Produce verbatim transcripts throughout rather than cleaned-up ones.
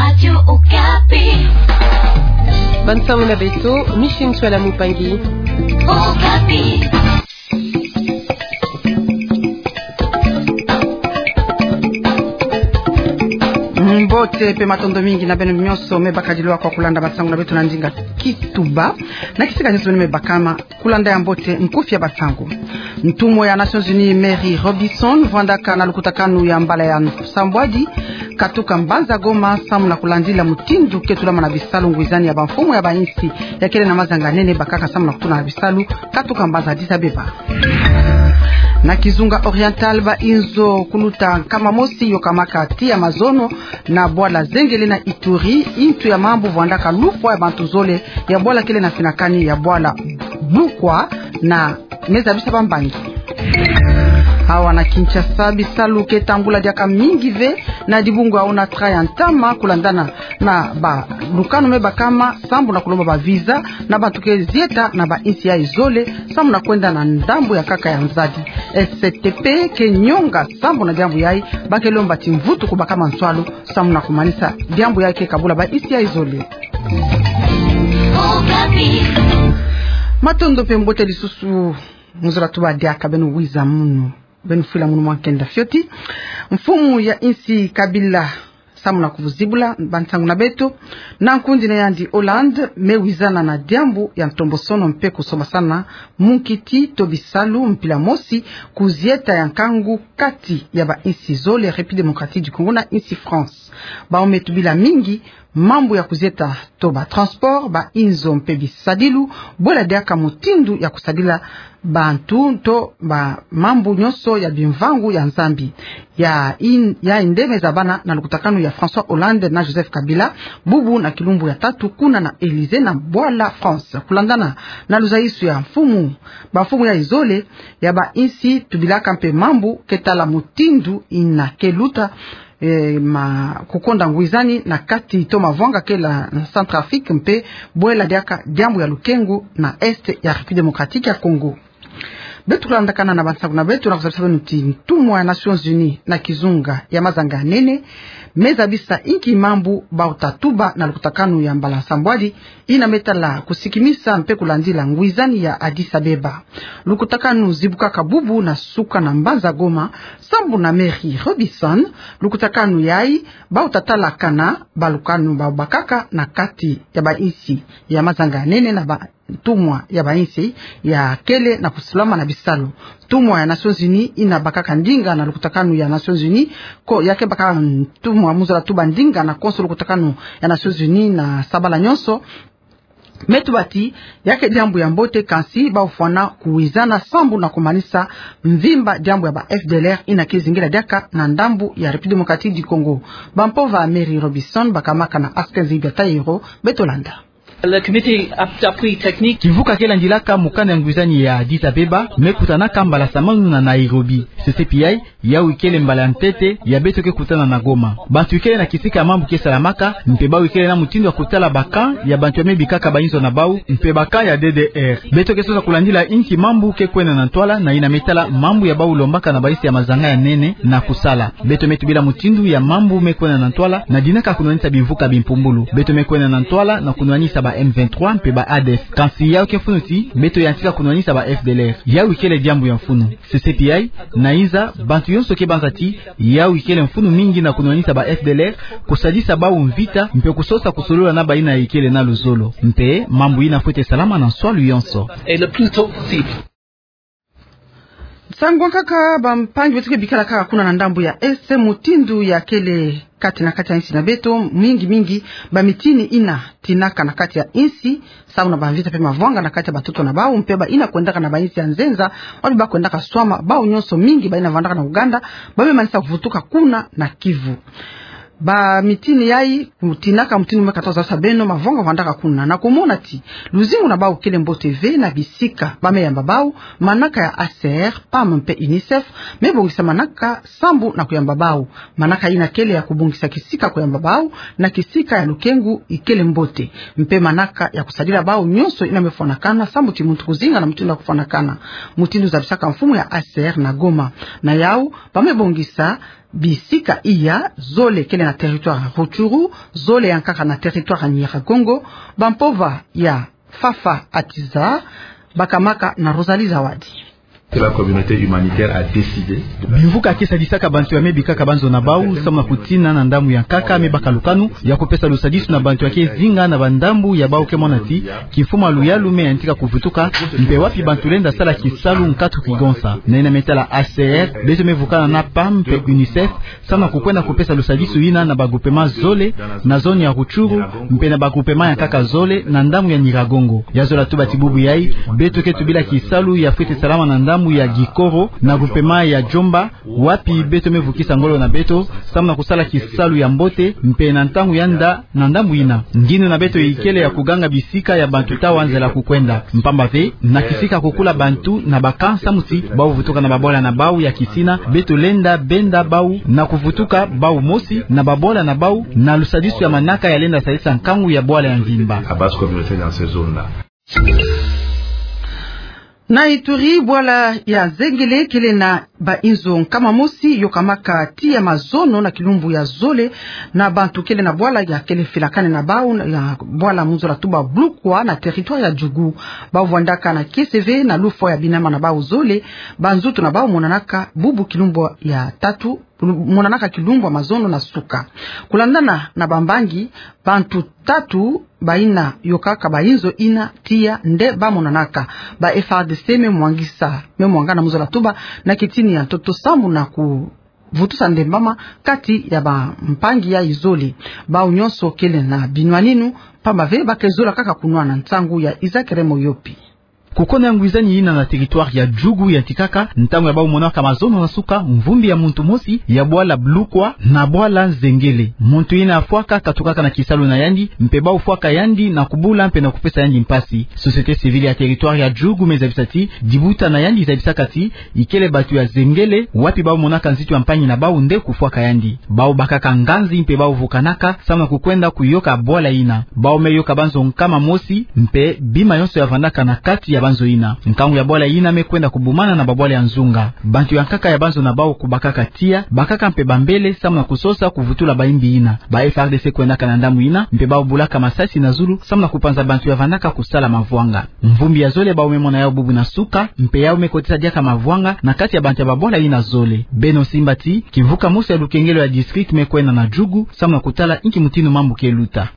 Radio Okapi. Bantu muna beto, Michel Ntwala Mupangi. Okapi. Mbote mpe matondo mingi na beno nyonso me bakadilwa kwa kulanda bansangu na beto na ndinga Kituba. Na kisika nyonso beno me bakama, kulanda ya mbote nkufi ya bansangu. Ntumwa ya Nations Unies Mary Robinson vwandaka na lukutakanu ya mbala ya nsambwadi, katuka mbanza Goma, samu na kulandila mutindu ke tulama na bisalu ngwizani ya bamfumu ya bainsi ya kele na mazanga nene bakaka samu na kutula na bisalu, katuka mbanza Addis Abeba. Na kizunga Oriental, ba inzo kuluta nkama mosi yokamaka tiya mazono na bwala Zengele na Ituri, ntu ya mambu vwandaka lufwa ya bantu zole ya bwala kele na finakani ya bwala Bukwa na me zabisa bambangi. Awa na Kinshasa, bisalu ke tambula diaka mingi ve na dibungu ya Onatra ya ntama, kulandana na balukanu me bakama sambu na kulomba ba visa na bantu ke zieta na bainsi ya zole, samu na kwenda na ndambu ya nkaka ya Nzadi. S T P ke nyonga sambu na diambu yayi, ba ke lomba ti mvutu kubakama nswalu samu na kumanisa diambu yayi ke kabula bainsi ya zole. Matondo mpe mbote lisusu. Mu zola tuba diaka beno wiza munu, beno fwila munu mwa nkenda fioti. Mfumu ya insi Kabila, samu na kuvuzibula bansangu na beto, na nkundi na yandi Hollande me wizana na diambu ya ntombosono mpe kusombasana munkiti to bisalu mpila mosi ku zieta ya nkangu kati ya bainsi zole, République Démocratique du Congo na insi France. Bawu me tubila mingi mambu ya kuzieta to batransport, bainzo mpe bisadilu, bwela diaka mutindu ya kusadila bantu to bamambu nyonso ya bimvangu ya Nzambi. Ya in-, ya inde me zabana na lukutakanu ya François Hollande na Joseph Kabila, bubu na kilumbu ya tatu kuna na Élysée na bwala France. Kulandana na luzayisu ya mfumu, bamfumu ya zole ya bainsi tubilaka mpe mambu ke tala mutindu ina ke luta, eh, ma kukonda ngwizani na kati to mavwanga kele na Centrafrique mpe bwela diaka diambu ya lukengu na Est ya République Démocratique ya Congo. Beto kulandakana na bansangu na beto, na kuzabisa beno ti ntumwa ya Nations Unies na kizunga ya mazanga nene me zabisa inki mambu bawu ta tuba na lukutakanu ya mbala nsambwadi, ina me tala kusikimisa mpe kulandila ngwizani ya Addis Abeba. Lukutakanu zibukaka bubu na suka na mbanza Goma, sambu na Mary Robinson, lukutakanu yayi bawu ta talakana balukanu bawu bakaka na kati ya bainsi ya mazanga nene na bantumwa ya bainsi ya kele na kusulama na bisalu. Ntumwa ya Nations Unies ina bakaka ndinga na lukutakanu ya Nations Unies, ko ya ke baka ntumwa, mu zola tuba, ndinga na konso lukutakanu ya Nations Unies na sabala nyonso, me tuba ti ya ke diambu ya mbote, kansi bawu fwana kuwizana sambu na kumanisa mvimba diambu ya ba F D L R ina ke zingila diaka na ndambu ya République Démocratique du Congo. Bampova Mary Robinson bakamaka na Askenzi Biatayero, beto landa. Le comité d'appui technique. Kivuka ke landilaka mokanda ya ngwizani ya Addis Abeba me kutanaka mbala samanu na Nairobi. C C P I, yawu ikele mbala ya ntete ya beto ke kutana na Goma. Bantu ikele na kisika ya mambu ke salamaka, mpe bawu ikele na mutindu ya kutala ba camp ya bantu ya me bikaka bainzo na bawu, mpe ba camp ya D D R. Beto ke sosa kulandila inki mambu ke kwenda na ntwala na ina me tala mambu ya bawu lombaka na bainsi ya mazanga ya nene na kusala. Beto me tubila mutindu ya mambu me kwenda na ntwala na dinaka kunwanisa bimvuka bimpumbulu. Beto me kwenda na ntwala na kunwanisa ba M vingt-trois mpe ba A D F. Kansi yawu ke mfunu ti beto yantika kunwanisa ba F D L R. Yawu ikele diambu ya mfunu. C C P I na iza bantu yonso ke banza ti yawu ikele mfunu mingi na kunwanisa ba F D L R, kusadisa bawu mvita, mpe kusosa kusolola na bayina ikele na luzolo. Mpe mambu yina fwete salama na nswalu yonso. Et le plus tôt possible. Nsangu nkaka, bampangi beto ke bikala kaka kuna na ndambu ya Est, mutindu ya kele kati na kati ya insi na beto, mingi mingi bamitini ina tinaka na kati ya insi, samu na bamvita mpe mavwanga na kati ya bantoto na bawu, mpe bayina kwendaka na bainsi ya nzenza, wapi ba kwendaka swama, bawu nyonso mingi bayina vandaka na Ouganda, ba me manisa kuvutuka kuna na Kivu. Bamitini yayi, kutinaka mutindu me katoza sa beno, mavwanga vandaka kuna, na kumona ti luzingu na bawu kele mbote ve na bisika ba me yamba bawu, manaka ya H C R, pam mpe UNICEF, me bongisa manaka sambu na kuyamba bawu. Manaka yina kele ya kubongisa kisika kuyamba bawu na kisika ya lukengu ikele mbote. Mpe manaka ya kusadila bawu nyonso yina me fwanakana sambu ti muntu kuzinga na mutindu ya kufwanakana. Mutindu zabisaka mfumu ya H C R na Goma. Na yawu, ba me bongisa bisika iya zole kele na territoire ya Rutshuru, zole ya nkaka na territoire ya Nyiragongo, bampova ya Fafa Atiza, bakamaka na Rosalie Zawadi. Que la communauté humanitaire a décidé. Bimvuka ke sadisaka bantu ya me bikaka banzo na bau, samu na kutina na ndambu ya nkaka me baka lukanu ya kupesa lusadisu na bantu ya ke zinga na bandambu ya bau ke mona ti kimfumu ya luyalu me yantika kuvutuka, mpe wapi bantu lenda sala kisalu nkatu kigonsa. Na yina me tala H C R, beto me vukana na pam mpe UNICEF, samu na kukwenda kupesa lusadisu yina na bagroupement zole na zone ya Rutshuru, mpe na bagroupement ya nkaka zole na ndambu ya Nyiragongo. Ya zola tuba ti bubu yai, beto ke tubila kisalu ya fwete salama na ndambu ya Gikoro, na groupement ya Djomba, wapi beto me vukisa ngolo na beto, samu na kusala kisalu ya mbote, mpe na ntangu ya nda na ndambu yina. Nginu na beto ikele ya kuganga bisika ya bantu ta wa nzela kukwenda. Mpamba ve, na kisika kukula bantu na ba camp samu ti bau vutuka na babwala na bau ya kisina, beto lenda benda bau na kuvutuka bau mosi na babwala na bau, na lusadisu ya manaka ya lenda sadisa nkangu ya bwala ya mvimba. La base communautaire dans ces zones-là. Na Ituri, bwala ya Zengele kele na bainzo nkama mosi yokamaka tiya mazono na kilumbu ya zole, na bantu kele na bwala ya kele filakane na bau, ya bwala mu nzola tuba Blukwa na territoire ya Djugu. Bau vwandaka na kiese ve na lufwa ya binama na bau zole, banzutu na bau monanaka bubu kilumbu ya tatu, monanaka kilumbu ya mazono na suka. Kulandana na bambangi, bantu tatu bayina yokaka bainzo yina tiya nde bamonanaka. Ba F A R D C me mwangisa, me mwangana mu nzola tuba na kitini ya ntoto sambu na kuvutusa ndembama kati ya bampangi ya zole. Bau nyonso kele na binwaninu, mpamba ve ba ke zola kaka kunwana. Nsangu ya Isaac Remo Yopi. Kukona ngwizani yina na territoire ya Djugu yantikaka ntangu ya bau monaka mazono na suka mvumbi ya muntu mosi ya bwala Blukwa na bwala Zengele. Muntu yina afwaka katukaka na kisalu na yandi, mpe bau fwaka yandi na kubula mpe na kupesa yandi mpasi. Société civile ya territoire ya Djugu me zabisa ti dibuta na yandi zabisaka ti ikele bantu ya Zengele, wapi bau monaka nzitu ya mpangi na bau nde kufwaka yandi. Bau bakaka nganzi mpe bau vukanaka samu na kukwenda kuyoka bwala yina. Bau me yoka banzo nkama mosi, mpe bima yonso ya vandaka na kati ya banzo yina. Nkangu ya bwala yina me kwenda kubumana na babwala ya nzunga. Bantu ya nkaka ya banzo na bau kubakaka tiya, bakaka mpe bambele samu na kusosa kuvutula baimbi yina. Ba F A R D C kwendaka na ndambu yina, mpe bau bulaka masasi na zulu samu na kupanza bantu ya vandaka kusala mavwanga. Mvumbi ya zole bau me mona yau bubu na suka, mpe yau me kotisa diaka mavwanga na kati ya bantu ya babwala yina zole. Beno simba ti kivuka mosi ya lukengelo ya district me kwenda na Djugu samu na kutala inki mutindu mambu ke luta.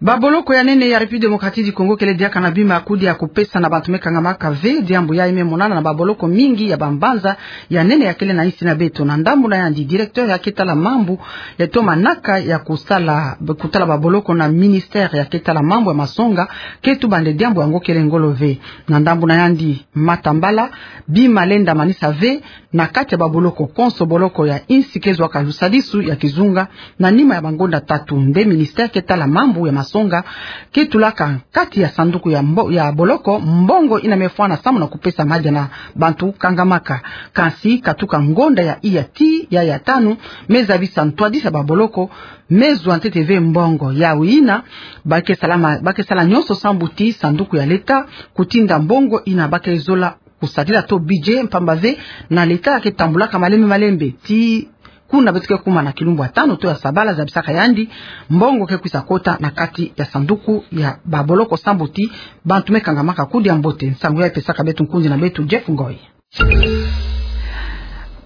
Baboloko ya nene ya République Démocratique du Congo kele diaka na bima ya kudia kupesa na bantu me kangamaka ve. Diambu yai me monana na baboloko mingi ya bambanza ya nene ya kele na insi na beto. Na ndambu na yandi, directeur ya ke tala mambu ya tomanaka ya kusala, kutala baboloko na ministère ya ke tala mambu ya masonga ke tuba nde diambu yango kele ngolo ve. Na ndambu na yandi, Matambala, bima lenda manisa ve na kati ya baboloko konso, boloko ya insi ke zwaka lusadisu ya kizunga na nima ya bangonda tatu. Nde ministère ke tala mambu ya masonga ke tulaka kati ya sanduku ya mbo-, ya boloko, mbongo yina me fwana samu na kupesa madia na bantu kangamaka. Kansi katuka ngonda ya iya ti ya ya tanu, me zabisa ntwadisi ya baboloko me zwa ntete ve mbongo. Yau yina, ba ke sala ma-, ba ke sala nyonso sambu ti sanduku ya leta kutinda mbongo yina ba ke zola kusadila to budget, mpamba ve na leta ke tambulaka malembe malembe. Ti kuna beto ke kuma na kilumbu ya tanu to ya sabala, zabisaka yandi, mbongo ke kwisa kota na kati ya sanduku ya baboloko sambu ti bantu me kangamaka kudia mbote. Nsangu yai pesaka beto nkundi na beto Jeff Ngoy.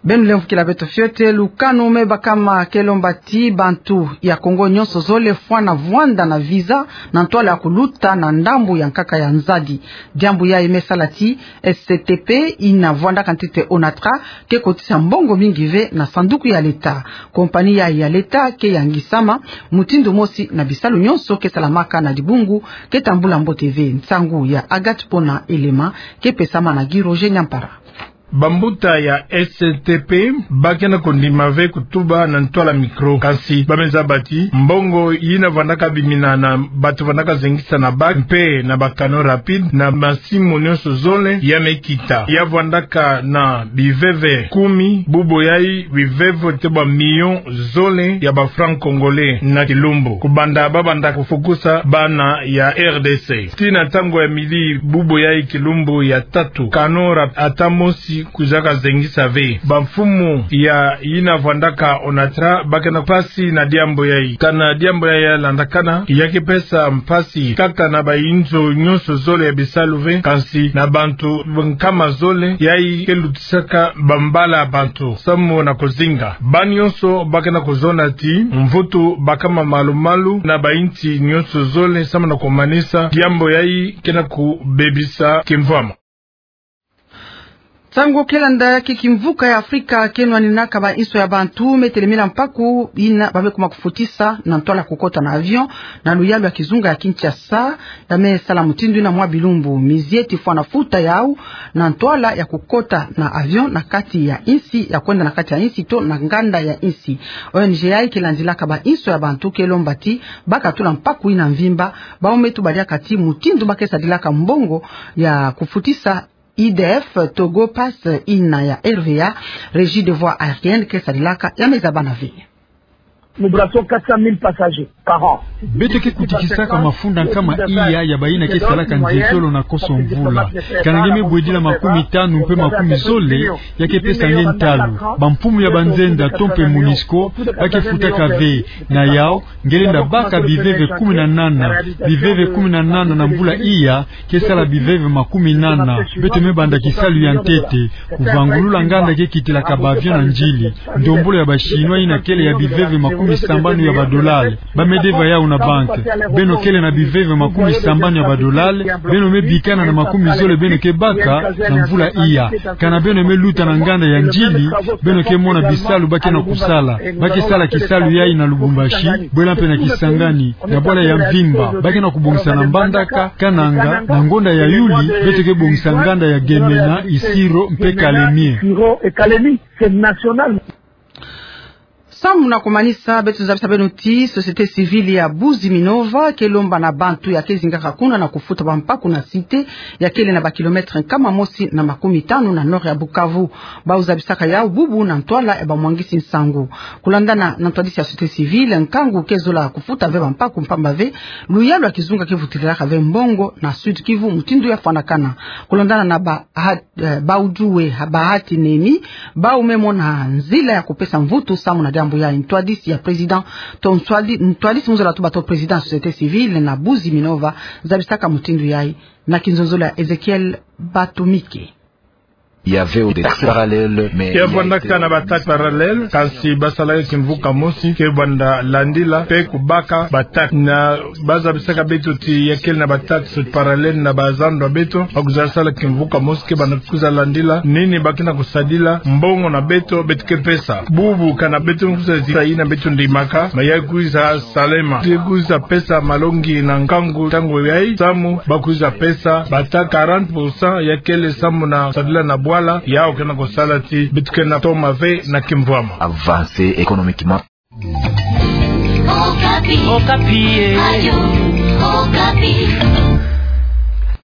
Beno lemvukila beto fiote. Lukanu me bakama ke lomba ti bantu ya Congo nyonso zole fwana vwanda na visa na ntwala ya kuluta na ndambu ya nkaka ya nzadi. Diambu yai me sala ti S C T P yina vwandaka ntete ONATRA ke kotisa mbongo mingi ve na sanduku ya leta. Kompani yai ya leta ke yangisama mutindu mosi na bisalu nyonso ke salamaka na dibungu ke tambula mbote ve. Nsangu ya Agathe Pona Elema ke pesama na Guy Roger Nyampara. Bambuta ya S T P ba ke na kondima ve kutuba na ntwala micro, kansi ba me zaba ti mbongo yina vandaka bimina na bato vandaka zengisa na bac mpe na ba canaux rapides na masimu nyonso zole ya me kita. Ya vandaka na biveve kumi, bubu yai biveve te ba millions zole ya ba francs congolais na kilumbu, kubanda ba banda kufukusa bana ya R D C. Tii na ntangu ya midi bubu yai kilumbu ya tatu, canaux rap-, ata mosi Kwizaka zengisa ve. Bamfumu ya yina vwandaka Onatra ba ke na mpasi na diambu yayi. Kana diambu yayi ya landakana, ya ke pesa mpasi kaka na bayinzo nyonso zole ya bisalu ve, kansi na bantu nkama zole, yayi ke lutisaka bambala ya bantu samu na kuzinga. Bani nyonso ba ke na kuzona ti mvutu bakama malu-malu na bayinsi nyonso zole samu na kumanisa diambu yayi ke na kubebisa kimvwama. Nsangu ke landa ya ke kimvuka ya Afrika ke nwaninaka ba inso ya bantu me telemila mpaku yina ba me kuma kufutisa na ntwala kukota na avion na luyalu ya kizunga ya Kinshasa, da me sala mutindu yina mwa bilumbu mizieti fwana futa yau na ntwala ya kukota na avion na kati ya insi, ya kwenda na kati ya insi to na nganda ya insi. O N G yayi ke landilaka ba inso ya bantu ke lomba ti ba ka tula mpaku yina mvimba, bau me tuba diaka ti mutindu ba ke sadilaka mbongo ya kufutisa E D F Togo Pass yina ya R V A, Régie des Voies Aériennes, ke sadilaka, ya me zabana ve. Nous brassons quatre cent mille passagers par an. Beto ke kutikisaka mafunda nkama iya ya bayina ke salaka nzietolo na koso mvula. Kana nge me bwedila makumi tanu mpe makumi zole, ya ke pesa nge ntalu. Bamfumu ya banzenza to mpe MONUSCO ba ke futaka ve. Na yau, nge lenda baka biveve kumi na nana. Biveve kumi na nana na mvula iya ke sala biveve makumi nana. Beto me banda kisalu ya ntete, kuvangulula nganda ke kitilaka ba avion na nzili. Ndombolo ya ba Chinois yina kele ya biveve makumi sambanu ya ba dolari, ba me deva yau na banque. Beno kele na biveve makumi sambanu ya ba dolari, beno me bikana na makumi zole beno ke baka na mvula iya. Kana beno me luta na nganda ya nzili, beno ke mona bisalu ba ke na kusala. Ba ke sala kisalu yayi na Lubumbashi, bwela mpe na Kisangani, na bwala ya mvimba. Ba ke na kubongisa na Mbandaka, Kananga, na ngonda ya Yuli beto ke bongisa nganda ya Gemena, Isiro mpe Kalemie. Samu na kumanisa, beto zabisa beno ti société civile ya Buzi Minova ke lomba na bantu ya ke zingaka kuna na kufuta bampaku na cité ya kele na ba kilomètre nkama mosi na makumi tanu na nord ya Bukavu. Bau zabisaka yau bubu na ntwala ya bamwangisi nsangu. Kulandana na ntwadisi ya société civile, nkangu ke zola kufuta ve bampaku mpamba ve luyalu ya kizunga ke vutilaka ve mbongo na Sud-Kivu mutindu ya fwanakana. Kulandana na ba ha-, eh, Bauduwe ha-, Bahati Nemi, bau me mona nzila ya kupesa mvutu samu na diambu yayi. Ntwadisi ya président, to ntwadi-, ntwadisi mu zola tuba to président ya société civile na Buzi Minova, zabisaka mutindu yayi na kinzonzolo ya Ezekiel Batumike. Il y avait des taxes parallèles, mais il y a été... Ya vwandaka na ba taxes parallèles, kansi ba salaka kimvuka mosi ke banda landila mpe kubaka ba taxes. Na ba zabisaka beto ti ya kele na ba taxes parallèles na bazando ya beto, ba kwiza sala kimvuka mosi ke banda kwiza landila nini ba ke na kusadila mbongo na beto, beto ke pesa. Bubu kana beto kwiza zisa yina beto ndimaka, ma ya kwiza salema. Te kwiza pesa malongi na nkangu ntangu yayi, samu ba kwiza pesa ba taxes quarante pour cent ya kele samu na sadila na bwala, yau ke na kusala ti beto ke na toma ve na kimvwama. Avancer économiquement. Okapi. Okapi, eh. Radio Okapi.